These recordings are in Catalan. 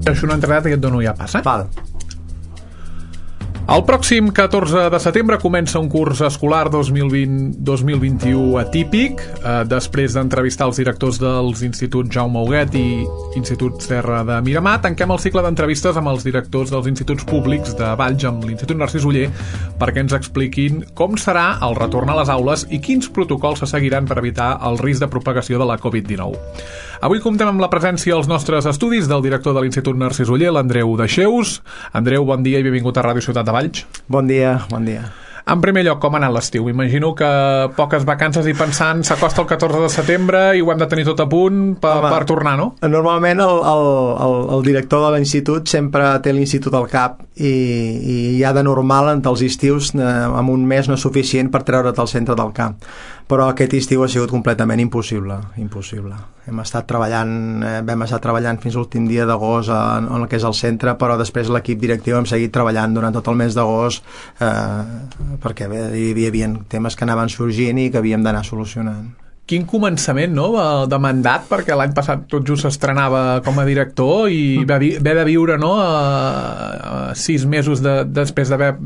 Això una entrada que et dono ja passa. Val. El pròxim 14 de setembre comença un curs escolar 2020-2021 atípic. Després d'entrevistar els directors dels Instituts Jaume Huguet i Institut Serra de Miramar, tanquem el cicle d'entrevistes amb els directors dels instituts públics de Valls, amb l'Institut Narcís Oller, perquè ens expliquin com serà el retorn a les aules i quins protocols se seguiran per evitar el risc de propagació de la Covid-19. Avui comptem amb la presència als nostres estudis del director de l'Institut Narcís Oller, l'Andreu Deixeus. Andreu, bon dia i benvingut a Ràdio Ciutat de Valls. Bon dia, bon dia. En primer lloc, com ha anat l'estiu? M'imagino que poques vacances i pensant s'acosta el 14 de setembre i ho hem de tenir tot a punt per tornar, no? Normalment el director de l'institut sempre té l'institut al cap i ja de normal entre els estius en un mes no és suficient per treure't al centre del camp. Però aquest estiu ha sigut completament impossible. Vam estar treballant fins l'últim dia d'agost en el que és el centre, però després l'equip directiu hem seguit treballant durant tot el mes d'agost perquè hi havia temes que anaven sorgint i que havíem d'anar solucionant. Quin començament, no?, de mandat, perquè l'any passat tot just s'estrenava com a director i va haver de viure, no?, 6 mesos després d'haver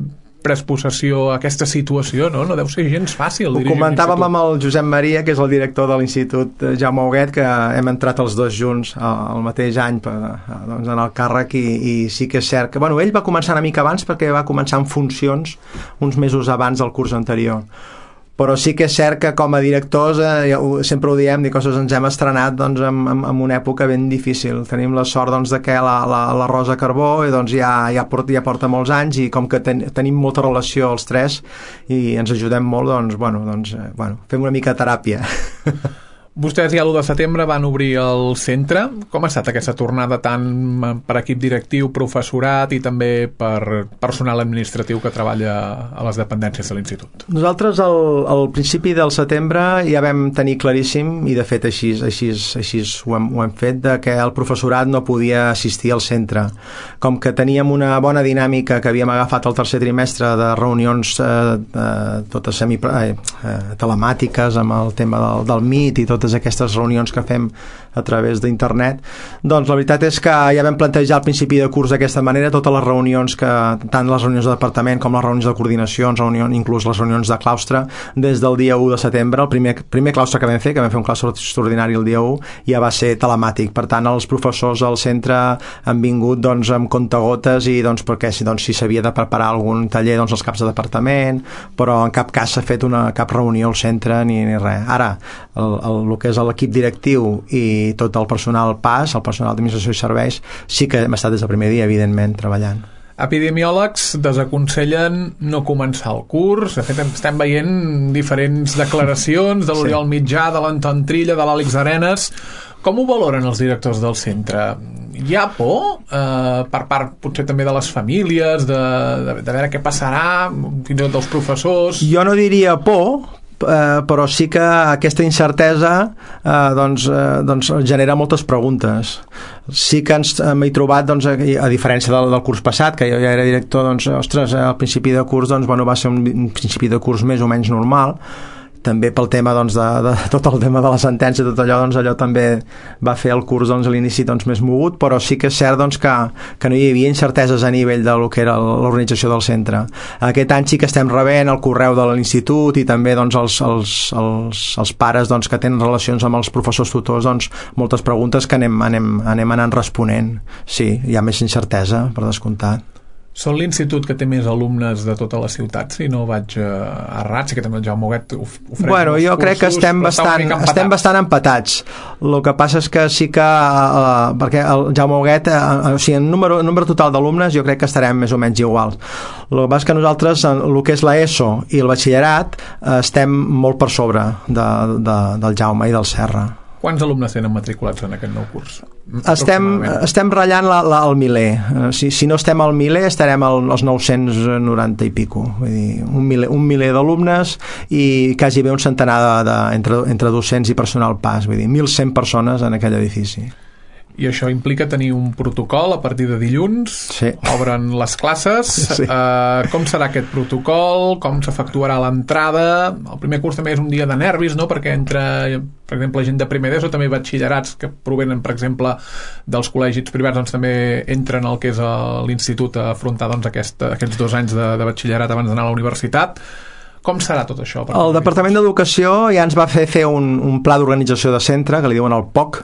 pres possessió aquesta situació, no? No deu ser gens fàcil. Ho comentàvem amb el Josep Maria, que és el director de l'Institut Jaume Huguet, que hem entrat els dos junts el mateix any en el càrrec i sí que és cert que ell va començar una mica abans perquè va començar en funcions uns mesos abans del curs anterior. Però sí que és cert que com a directors sempre ho diem, ens hem estrenat en una època ben difícil. Tenim la sort de que la Rosa Carbó ja porta molts anys i com que tenim molta relació els tres i ens ajudem molt, fem una mica de teràpia. Vostès ja l'1 de setembre van obrir el centre. Com ha estat aquesta tornada tant per equip directiu, professorat i també per personal administratiu que treballa a les dependències de l'institut? Nosaltres al principi del setembre ja vam tenir claríssim, i de fet així ho hem fet, que el professorat no podia assistir al centre. Com que teníem una bona dinàmica que havíem agafat el tercer trimestre de reunions totes telemàtiques amb el tema del Meet i totes aquestes reunions que fem a través d'internet, doncs la veritat és que ja vam plantejar al principi de curs d'aquesta manera totes les reunions, tant les reunions de departament com les reunions de coordinació, inclús les reunions de claustre, des del dia 1 de setembre. El primer claustre que vam fer un claustre extraordinari el dia 1, ja va ser telemàtic. Per tant, els professors al centre han vingut amb comptagotes i perquè si s'havia de preparar algun taller els caps de departament, però en cap cas s'ha fet cap reunió al centre ni res. Ara, el que és l'equip directiu i tot el personal PAS, el personal d'administració i serveis, sí que hem estat des del primer dia, evidentment, treballant. Epidemiòlegs desaconsellen no començar el curs. De fet, estem veient diferents declaracions de l'Oriol Mitjà, de l'Anton Trilla, de l'Àlex Arenas. Com ho valoren els directors del centre? Hi ha por per part potser també de les famílies, de veure què passarà, fins i tot dels professors? Jo no diria por, però sí que aquesta incertesa genera moltes preguntes. Sí que m'he trobat, a diferència del curs passat, que jo ja era director, al principi de curs va ser un principi de curs més o menys normal, també pel tema de tot el tema de la sentència, tot allò també va fer el curs a l'inici més mogut, però sí que és cert que no hi havia incerteses a nivell de lo que era l'organització del centre. Aquest any sí que estem rebent el correu de l'institut i també els pares que tenen relacions amb els professors tutors, moltes preguntes que anem anant responent. Sí, hi ha més incertesa, per descomptat. Són l'institut que té més alumnes de tota la ciutat, si no vaig errat, sí que també el Jaume Huguet ofereix jo crec que estem bastant empatats. El que passa és que sí que perquè el Jaume Huguet, en número total d'alumnes jo crec que estarem més o menys iguals. El que passa és que nosaltres, el que és l'ESO i el batxillerat, estem molt per sobre del Jaume i del Serra. Quants alumnes tenen matriculats en aquest nou curs? Estem ratllant el miler. Si no estem al miler, estarem als 990 i pico. Vull dir, un miler d'alumnes i quasi bé un centenar entre docents i personal PAS. Vull dir, 1.100 persones en aquell edifici. I això implica tenir un protocol a partir de dilluns, sí. Obren les classes, sí. Com serà aquest protocol, com s'efectuarà l'entrada, el primer curs també és un dia de nervis, no? Perquè entra, per exemple, gent de primer d'ESO, també batxillerats que provenen, per exemple, dels col·legis privats, doncs també entren al que és l'institut a afrontar doncs, aquests 2 anys de batxillerat abans d'anar a la universitat. Com serà tot això? El Departament d'Educació ja ens va fer un pla d'organització de centre, que li diuen el POC,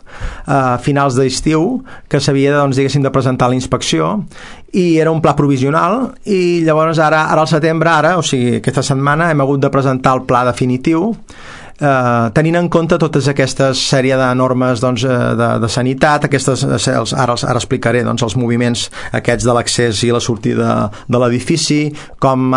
a finals d'estiu, que s'havia doncs, de presentar a la inspecció, i era un pla provisional, i llavors ara al setembre, o sigui, aquesta setmana, hem hagut de presentar el pla definitiu, tenint en compte totes aquestes sèrie de normes doncs, de sanitat, ara explicaré doncs, els moviments aquests de l'accés i la sortida de l'edifici, com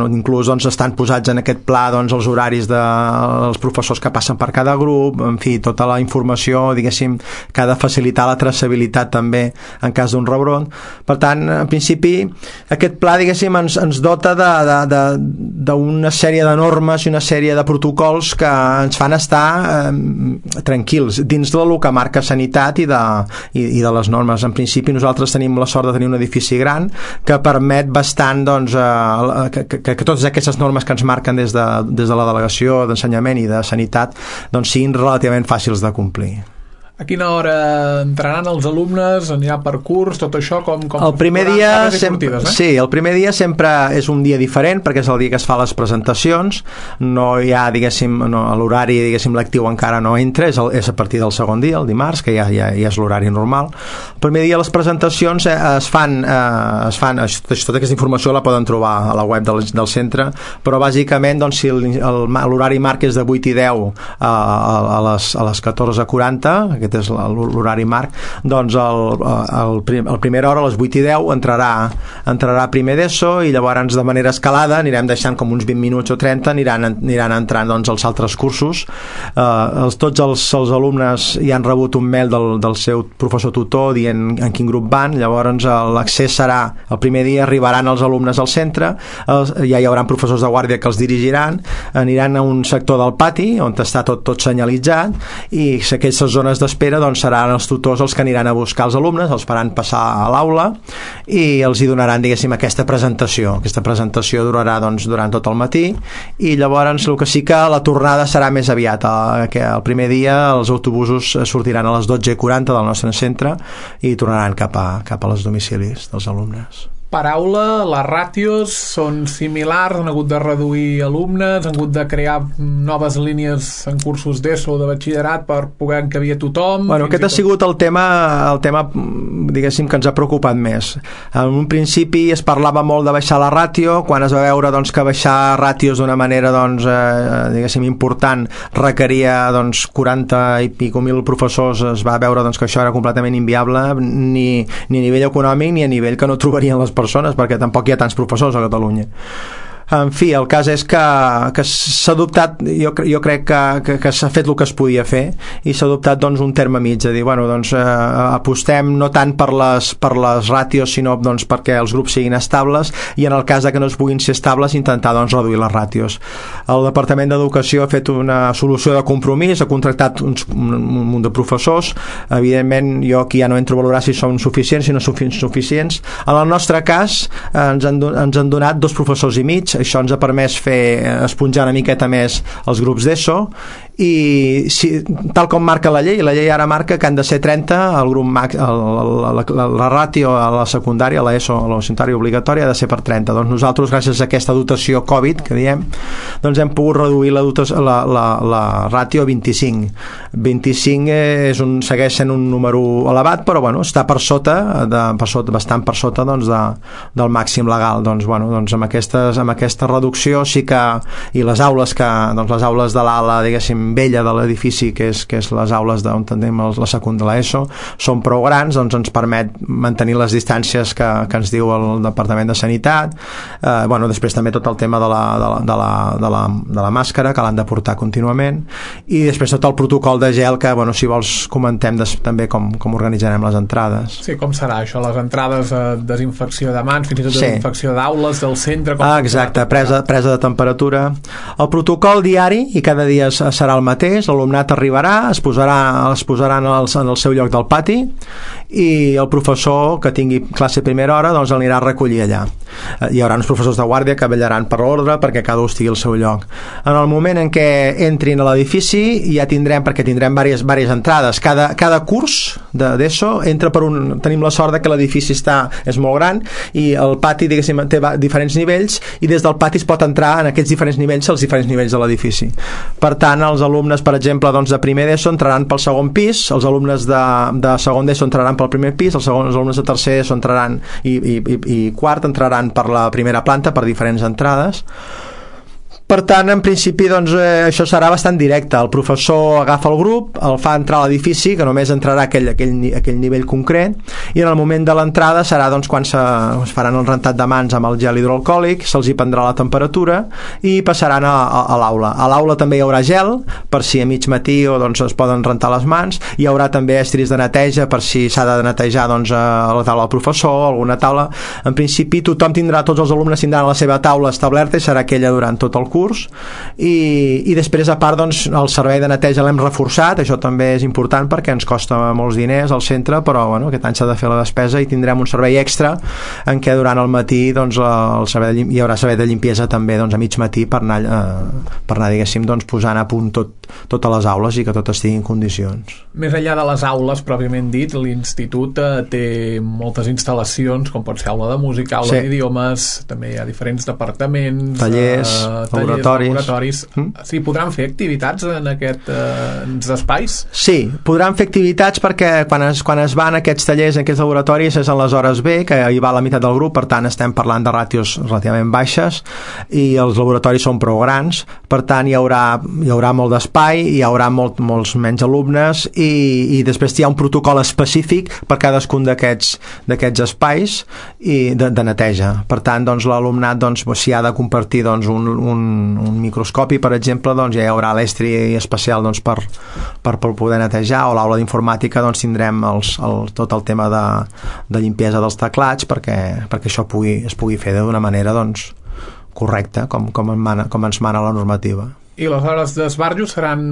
inclús doncs, estan posats en aquest pla doncs, els horaris dels professors que passen per cada grup, en fi, tota la informació diguéssim, que ha de facilitar la traçabilitat també en cas d'un rebrot. Per tant, en principi aquest pla diguéssim ens dota d'una sèrie de normes i una sèrie de protocols que ens fan estar tranquils dins del que marca sanitat i de les normes. En principi nosaltres tenim la sort de tenir un edifici gran que permet bastant doncs, que totes aquestes normes que ens marquen des de la delegació d'ensenyament i de sanitat doncs, siguin relativament fàcils de complir. A quina hora entraran els alumnes? Anirà per curs? Tot això com el primer dia sí, el primer dia sempre és un dia diferent perquè és el dia que es fa les presentacions, no hi ha diguéssim, l'horari diguéssim lectiu encara no entra, és a partir del segon dia, el dimarts, que ja és l'horari normal. El primer dia les presentacions es fan tota aquesta informació la poden trobar a la web del centre, però bàsicament doncs, si l'horari marc és de 8 i 10 a les 14:40, aquest és l'horari marc, doncs el primera hora a les 8 i 10 entrarà primer d'ESO i llavors de manera escalada anirem deixant com uns 20 minuts o 30 aniran entrant doncs, els altres cursos. Tots els alumnes ja han rebut un mail del seu professor tutor dient en quin grup van, llavors l'accés serà el primer dia, arribaran els alumnes al centre, ja hi haurà professors de guàrdia que els dirigiran, aniran a un sector del pati on està tot senyalitzat i aquestes zones d'espera doncs seran els tutors els que aniran a buscar els alumnes, els faran passar a l'aula i els hi donaran diguéssim aquesta presentació durarà doncs, durant tot el matí i llavors el que sí que la tornada serà més aviat, que el primer dia els autobusos sortiran a les 12:40 del nostre centre i tornaran cap a les domicilis dels alumnes. Per aula, les ràtios són similars, han hagut de reduir alumnes, han hagut de crear noves línies en cursos d'ESO o de batxillerat per poder encabir a tothom. Bueno, aquest ha sigut el tema diguéssim que ens ha preocupat més. En un principi es parlava molt de baixar la ràtio, quan es va veure doncs, que baixar ràtios d'una manera doncs, diguéssim important requeria doncs, 40 i pico mil professors, es va veure doncs, que això era completament inviable ni a nivell econòmic ni a nivell que no trobarien les persones perquè tampoc hi ha tants professors a Catalunya. En fi, el cas és que s'ha adoptat, jo crec que s'ha fet el que es podia fer i s'ha adoptat doncs, un terme mig, de dir, bueno, doncs, apostem no tant per les ràtios, sinó doncs, perquè els grups siguin estables i en el cas de que no es puguin ser estables intentar doncs, reduir les ràtios. El Departament d'Educació ha fet una solució de compromís, ha contractat un munt de professors, evidentment jo aquí ja no entro a valorar si són suficients si no són suficients. En el nostre cas ens han donat 2 professors i mig, això ens ha permès esponjar una miqueta més els grups d'ESO i tal com marca la llei ara marca que han de ser 30 el grup la ràtio a la secundària, a l'ESO, a la secundària obligatòria ha de ser per 30, doncs nosaltres gràcies a aquesta dotació Covid que diem doncs hem pogut reduir la ràtio a 25 segueix sent un número elevat però bueno, està bastant per sota doncs, del màxim legal doncs, bueno, doncs amb aquesta reducció sí que i les aules de l'ala diguéssim vella de l'edifici que és les aules on tenim la secundària de l'ESO són prou grans, doncs ens permet mantenir les distàncies que ens diu el Departament de Sanitat bueno, després també tot el tema de la màscara que l'han de portar contínuament i després tot el protocol de gel que bueno, si vols comentem també com organitzarem les entrades. Sí, com serà això? Les entrades desinfecció de mans, fins i tot desinfecció d'aules del centre, exacte. Exacte, presa de temperatura. El protocol diari, i cada dia serà el mateix, l'alumnat arribarà, es posaran en el seu lloc del pati i el professor que tingui classe a primera hora doncs l'anirà a recollir allà. Hi haurà uns professors de guàrdia que vetllaran per l'ordre perquè cada un estigui al seu lloc. En el moment en què entrin a l'edifici ja tindrem diverses entrades. Cada curs d'ESO entra per un... Tenim la sort que l'edifici és molt gran i el pati, diguéssim, té diferents nivells i des del pati es pot entrar en aquests diferents nivells, als diferents nivells de l'edifici. Per tant, els alumnes, per exemple, doncs, de primer d'ESO entraran pel segon pis, els alumnes de segon d'ESO entraran pel primer pis, els alumnes de tercer d'ESO entraran i quart entraran per la primera planta per diferents entrades. Per tant, en principi, doncs, això serà bastant directe. El professor agafa el grup, el fa entrar a l'edifici, que només entrarà aquell nivell concret, i en el moment de l'entrada serà doncs, quan es faran el rentat de mans amb el gel hidroalcohòlic, se'ls hi prendrà la temperatura i passaran a l'aula. A l'aula també hi haurà gel, per si a mig matí doncs, es poden rentar les mans. Hi haurà també estris de neteja per si s'ha de netejar doncs, a la taula del professor, alguna taula. En principi, tots els alumnes tindran la seva taula establerta i serà aquella durant tot el curs. I després, a part, doncs, el servei de neteja l'hem reforçat. Això també és important perquè ens costa molts diners al centre, però bueno, aquest any s'ha de fer la despesa i tindrem un servei extra en què durant el matí doncs, hi haurà servei de limpiesa també doncs, a mig matí per anar diguéssim, doncs, posant a punt totes les aules i que tot estigui en condicions. Més enllà de les aules, pròpiament dit, l'institut té moltes instal·lacions, com pot ser aula de música, aula d'idiomes, també hi ha diferents departaments, tallers, laboratoris. Sí, podran fer activitats en aquests espais? Sí, podran fer activitats perquè quan es van aquests tallers, en aquests laboratoris, és en les hores B, que hi va la meitat del grup, per tant estem parlant de ràtios relativament baixes i els laboratoris són prou grans, per tant hi haurà molt d'espai, hi haurà molts menys alumnes i després hi ha un protocol específic per cadascun d'aquests espais i de neteja. Per tant, doncs, l'alumnat doncs, si ha de compartir doncs, un microscopi, per exemple, doncs, ja hi haurà l'estri especial doncs, per poder netejar, o l'aula d'informàtica doncs, tindrem tot el tema de limpiesa dels teclats perquè això es pugui fer d'una manera doncs, correcta, com ens mana la normativa. I les hores d'esbarjo seran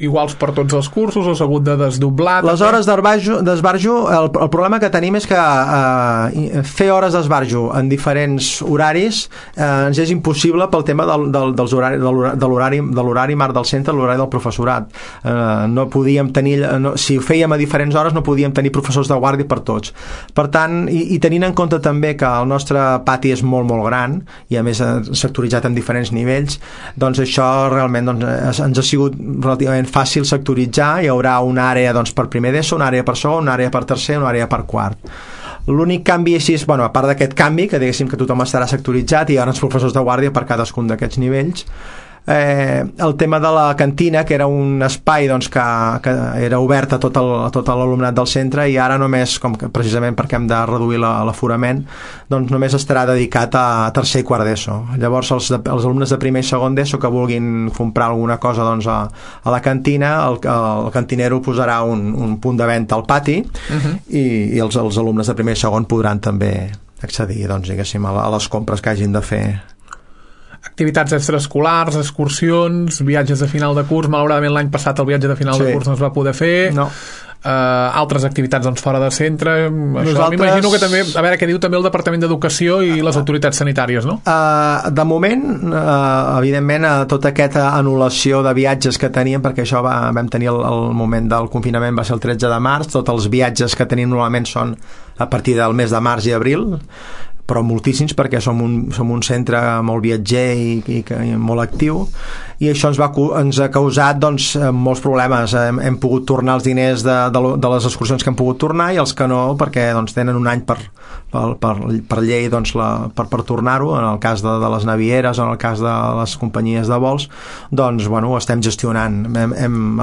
iguals per tots els cursos o s'ha hagut de desdoblar? Les hores d'esbarjo, el problema que tenim és que fer hores d'esbarjo en diferents horaris ens és impossible pel tema de l'horari marc del centre, l'horari del professorat. No podíem tenir, si ho fèiem a diferents hores no podíem tenir professors de guàrdia per tots. Per tant, i tenint en compte també que el nostre pati és molt, molt gran i a més sectoritzat en diferents nivells, doncs això realment doncs, ens ha sigut relativament fàcil sectoritzar. Hi haurà una àrea doncs, per primer d'ESO, una àrea per segon, una àrea per tercer, una àrea per quart. L'únic canvi així és, a part d'aquest canvi, que diguéssim que tothom estarà sectoritzat i hi haurà uns professors de guàrdia per cadascun d'aquests nivells, el tema de la cantina, que era un espai doncs, que era obert a tot l'alumnat del centre, i ara només, precisament perquè hem de reduir l'aforament, doncs només estarà dedicat a tercer i quart d'ESO. Llavors els alumnes de primer i segon d'ESO que vulguin comprar alguna cosa doncs, a la cantina, el cantinero posarà un punt de venda al pati, i els alumnes de primer i segon podran també accedir doncs, diguéssim, a les compres que hagin de fer. Activitats extraescolars, excursions, viatges de final de curs. Malauradament l'any passat el viatge de final de curs no es va poder fer. No. Altres activitats doncs, fora de centre. Això m'imagino que també, a veure què diu també el Departament d'Educació i les autoritats sanitàries, no? De moment, evidentment, tota aquesta anul·lació de viatges que teníem, perquè això vam tenir el moment del confinament, va ser el 13 de març, tots els viatges que tenim normalment són a partir del mes de març i abril, però moltíssims perquè som un centre molt viatger i molt actiu, i això ens ha causat doncs, molts problemes. Hem pogut tornar els diners de les excursions que hem pogut tornar, i els que no, perquè doncs, tenen un any per llei doncs, per tornar-ho. En el cas de les navieres o en el cas de les companyies de vols, doncs ho estem gestionant.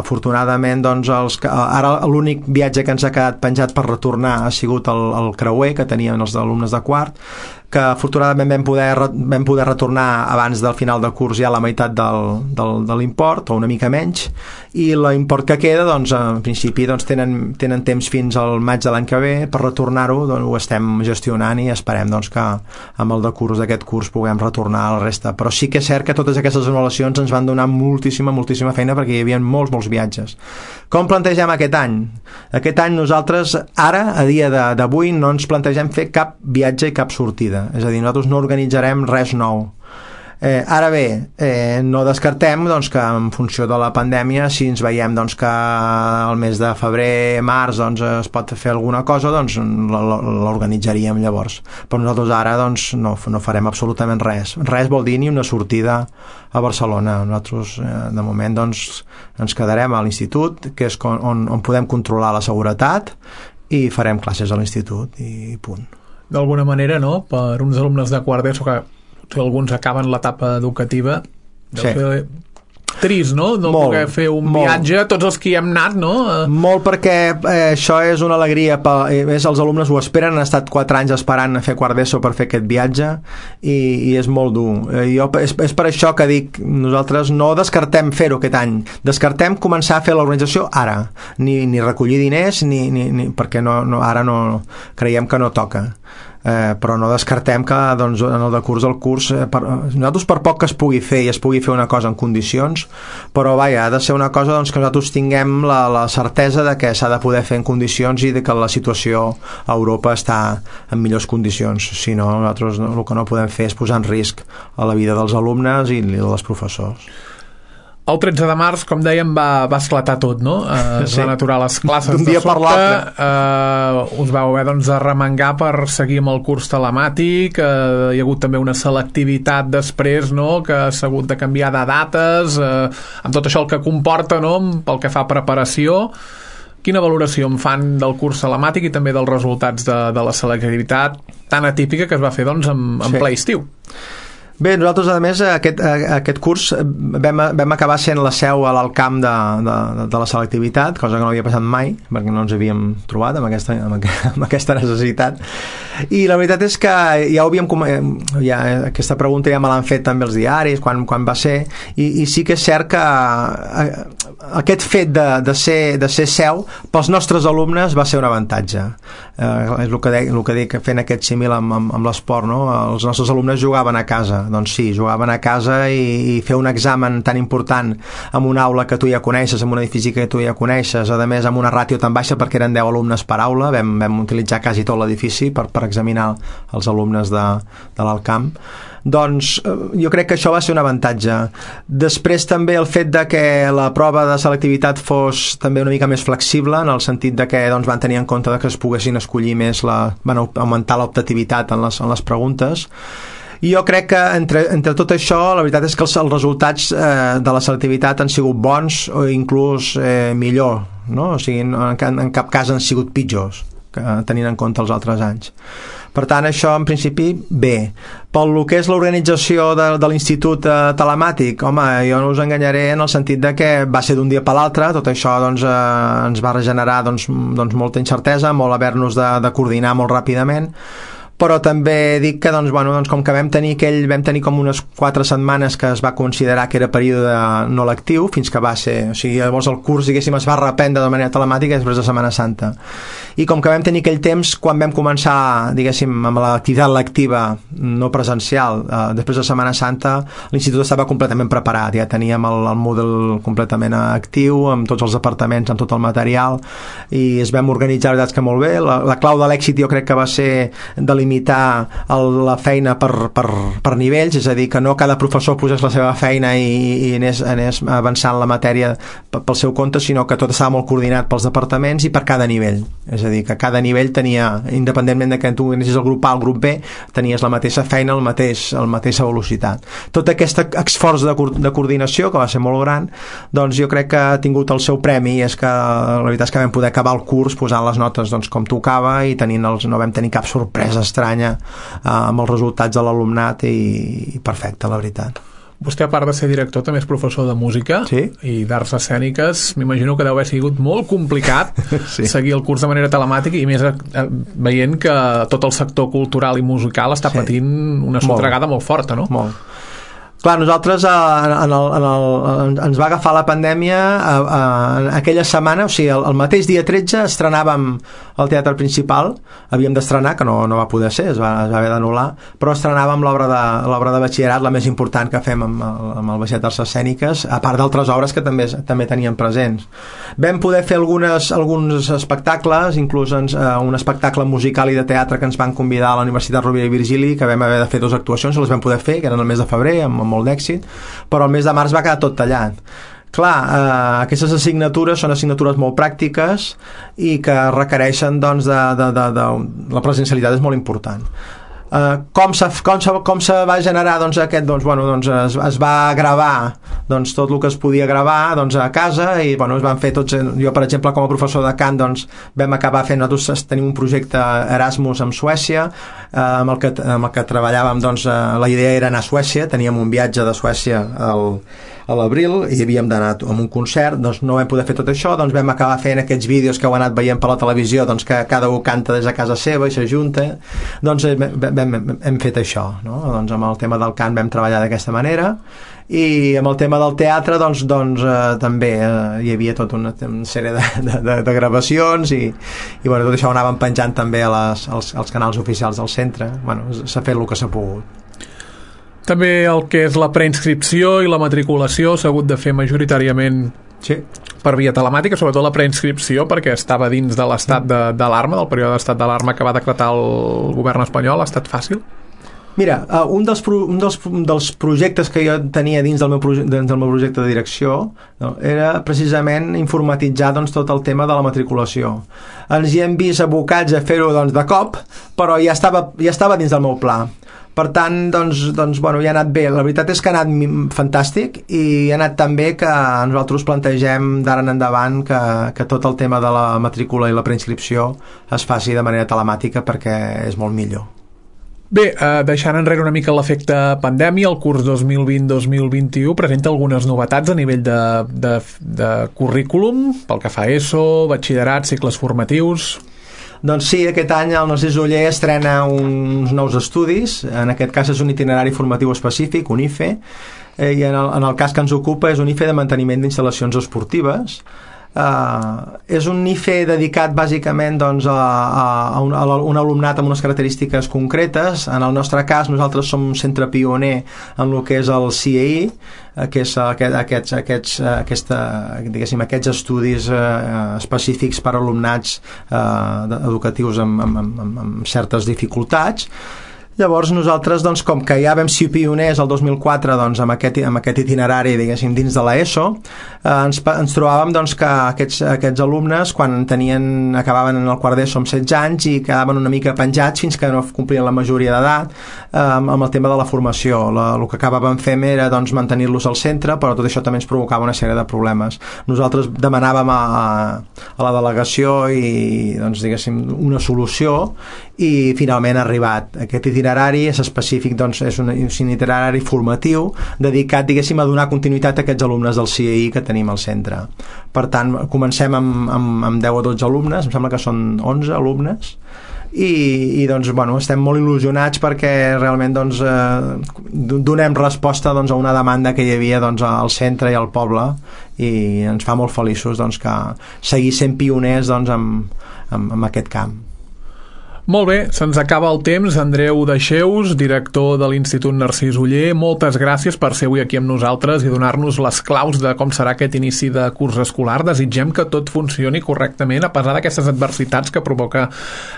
Afortunadament doncs, ara l'únic viatge que ens ha quedat penjat per retornar ha sigut el creuer que tenien els alumnes de quart, que afortunadament vam poder retornar abans del final del curs ja la meitat de l'import, o una mica menys, i l'import que queda, doncs, en principi doncs, tenen temps fins al maig de l'any que ve per retornar-ho, doncs, ho estem gestionant i esperem doncs, que amb el decurs d'aquest curs puguem retornar a la resta. Però sí que és cert que totes aquestes anul·lacions ens van donar moltíssima feina perquè hi havia molts viatges. Com plantegem aquest any? Aquest any nosaltres, ara, a dia d'avui, no ens plantegem fer cap viatge i cap sortida. És a dir, nosaltres no organitzarem res nou. Ara bé, no descartem doncs, que en funció de la pandèmia, si ens veiem doncs, que el mes de febrer, març doncs, es pot fer alguna cosa, doncs l'organitzaríem llavors. Però nosaltres ara doncs, no farem absolutament res. Res vol dir ni una sortida a Barcelona. Nosaltres de moment doncs, ens quedarem a l'institut, que és on podem controlar la seguretat, i farem classes a l'institut i punt. D'alguna manera, no? Per uns alumnes de quart d'ESO que alguns acaben l'etapa educativa, deu ser trist, no? No poder fer un viatge, tots els que hi hem anat, no? Molt, perquè això és una alegria, els alumnes ho esperen, han estat 4 anys esperant a fer quart d'ESO per fer aquest viatge i és molt dur. És per això que dic, nosaltres no descartem fer-ho aquest any, descartem començar a fer l'organització ara, ni recollir diners, perquè ara no creiem que no toca. Però no descartem que doncs, en el decurs del curs nosaltres per poc que es pugui fer i es pugui fer una cosa en condicions, però vaja, ha de ser una cosa doncs, que nosaltres tinguem la certesa de que s'ha de poder fer en condicions i de que la situació a Europa està en millors condicions. Si no, nosaltres el que no podem fer és posar en risc a la vida dels alumnes i dels professors. El 13 de març, com dèiem, va esclatar tot, no? Es van aturar les classes d'un dia per l'altre. Us vau haver doncs, de remengar per seguir amb el curs telemàtic. Hi ha hagut també una selectivitat després, no?, que s'ha hagut de canviar de dates, amb tot això el que comporta, no?, pel que fa a preparació. Quina valoració en fan del curs telemàtic i també dels resultats de la selectivitat tan atípica que es va fer doncs, en ple estiu? Bé, nosaltres, a més, aquest curs vam acabar sent la seu a l'Alcamp de la selectivitat, cosa que no havia passat mai, perquè no ens havíem trobat amb aquesta necessitat. I la veritat és que ja ho havíem... aquesta pregunta ja me l'han fet també els diaris, quan va ser, i sí que és cert que aquest fet de ser seu pels nostres alumnes va ser un avantatge. És el que dic, fent aquest símil amb l'esport, no? Els nostres alumnes jugaven a casa. Doncs sí, jugaven a casa i fer un examen tan important en una aula que tu ja coneixes, en un edifici que tu ja coneixes, a més amb una ràtio tan baixa perquè eren 10 alumnes per aula, vam utilitzar quasi tot l'edifici per examinar els alumnes de l'Alcamp. Doncs jo crec que això va ser un avantatge. Després també el fet de que la prova de selectivitat fos també una mica més flexible, en el sentit de que doncs, van tenir en compte que es poguessin escollir més, van augmentar l'optativitat en les preguntes. I jo crec que entre tot això la veritat és que els resultats de la selectivitat han sigut bons o inclús millor, no? O sigui, en cap cas han sigut pitjors tenint en compte els altres anys. Per tant, això en principi bé. Pel que és l'organització de l'institut telemàtic, home, jo no us enganyaré en el sentit de que va ser d'un dia per l'altre, tot això doncs, ens va regenerar doncs, molta incertesa, molt haver-nos de coordinar molt ràpidament, però també dic que doncs, com que vam tenir com unes 4 setmanes que es va considerar que era període no lectiu, fins que va ser, o sigui, llavors el curs, diguéssim, es va reprendre de manera telemàtica després de Setmana Santa. I com que vam tenir aquell temps, quan vam començar, diguéssim, amb l'activitat lectiva no presencial, després de Setmana Santa, l'institut estava completament preparat, ja teníem el Moodle completament actiu, amb tots els departaments, amb tot el material, i es vam organitzar, la veritat que molt bé. La clau de l'èxit jo crec que va ser delimitar la feina per nivells, és a dir, que no cada professor posés la seva feina i anés avançant la matèria pel seu compte, sinó que tot estava molt coordinat pels departaments i per cada nivell. És a dir, que cada nivell tenia, independentment de que tu anessis al grup A al grup B, tenies la mateixa feina, la mateixa velocitat. Tot aquest esforç de coordinació, que va ser molt gran, doncs jo crec que ha tingut el seu premi, i és que la veritat és que vam poder acabar el curs posant les notes doncs, com tocava, i no vam tenir cap sorpresa estranya amb els resultats de l'alumnat, i perfecte, la veritat. Vostè, a part de ser director, també és professor de música i d'arts escèniques. M'imagino que deu haver sigut molt complicat seguir el curs de manera telemàtica i més veient que tot el sector cultural i musical està patint una sotregada molt forta, no? Molt. Clar, nosaltres ens va agafar la pandèmia aquella setmana, o sigui, el mateix dia 13 estrenàvem el Teatre Principal, havíem d'estrenar, que no va poder ser, es va haver d'anul·lar, però estrenàvem l'obra de batxillerat, la més important que fem amb el Baixet d'Arts Escèniques, a part d'altres obres que també teníem presents. Vam poder fer alguns espectacles, inclús un espectacle musical i de teatre que ens van convidar a la Universitat Rovira i Virgili, que vam haver de fer 2 actuacions, les vam poder fer, que eren el mes de febrer, amb molt d'èxit, però el mes de març va quedar tot tallat. Clar, aquestes assignatures són assignatures molt pràctiques i que requereixen, doncs, la presencialitat és molt important. Com se va generar es va gravar tot el que es podia gravar a casa i es van fer tots. Jo, per exemple, com a professor de cant, vam acabar fent, nosaltres tenim un projecte Erasmus amb Suècia, amb el que treballàvem. La idea era anar a Suècia, teníem un viatge de Suècia a l'abril i havíem d'anar a un concert, no vam poder fer tot això, vam acabar fent aquests vídeos que heu anat veient per la televisió, que cada un canta des de casa seva i s'ajunta. Hem fet això, no? Amb el tema del cant vam treballar d'aquesta manera i amb el tema del teatre també hi havia tota una sèrie de gravacions i tot això ho anàvem penjant també als canals oficials del centre. S'ha fet el que s'ha pogut. També el que és la preinscripció i la matriculació s'ha hagut de fer majoritàriament per via telemàtica, sobretot la preinscripció, perquè estava dins de l'estat d'alarma, del període d'estat d'alarma que va decretar el govern espanyol. Ha estat fàcil? Mira, un dels projectes que jo tenia dins del meu projecte de direcció era precisament informatitzar tot el tema de la matriculació. Ens hi hem vist abocats a fer-ho de cop, però ja estava dins del meu pla. Per tant, ja ha anat bé. La veritat és que ha anat fantàstic i ha anat tan bé que nosaltres plantegem d'ara en endavant que tot el tema de la matrícula i la preinscripció es faci de manera telemàtica perquè és molt millor. Bé, deixant enrere una mica l'efecte pandèmia, el curs 2020-2021 presenta algunes novetats a nivell de currículum, pel que fa a ESO, batxillerat, cicles formatius. Doncs sí, aquest any el Narcís Oller estrena uns nous estudis, en aquest cas és un itinerari formatiu específic, un IFE, i en el cas que ens ocupa és un IFE de manteniment d'instal·lacions esportives. És un IFE dedicat bàsicament a un alumnat amb unes característiques concretes. En el nostre cas nosaltres som un centre pioner en el que és el CEI, que és aquests estudis específics per a alumnats educatius amb certes dificultats. Llavors nosaltres, com que ja vam ser pioners el 2004 amb aquest itinerari, diguéssim, dins de l'ESO, ens trobàvem que aquests alumnes, quan acabaven en el quart d'ESO amb 16 anys i quedaven una mica penjats fins que no complien la majoria d'edat, amb el tema de la formació. El que acabàvem fent era mantenir-los al centre, però tot això també ens provocava una sèrie de problemes. Nosaltres demanàvem a la delegació diguéssim, una solució i finalment ha arribat. Aquest itinerari és específic, és un itinerari formatiu dedicat, diguéssim, a donar continuïtat a aquests alumnes del CII que tenim al centre. Per tant, comencem amb 10 o 12 alumnes, em sembla que són 11 alumnes, i estem molt il·lusionats perquè realment donem resposta a una demanda que hi havia al centre i al poble, i ens fa molt feliços que seguir sent pioners en aquest camp. Molt bé, se'ns acaba el temps. Andreu Dexeus, director de l'Institut Narcís Oller, moltes gràcies per ser avui aquí amb nosaltres i donar-nos les claus de com serà aquest inici de curs escolar. Desitgem que tot funcioni correctament a pesar d'aquestes adversitats que provoca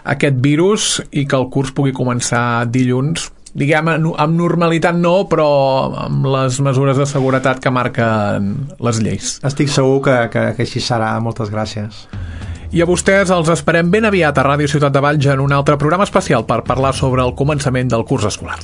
aquest virus i que el curs pugui començar dilluns, diguem, amb normalitat no, però amb les mesures de seguretat que marquen les lleis. Estic segur que així serà. Moltes gràcies. I a vostès els esperem ben aviat a Ràdio Ciutat de Valls en un altre programa especial per parlar sobre el començament del curs escolar.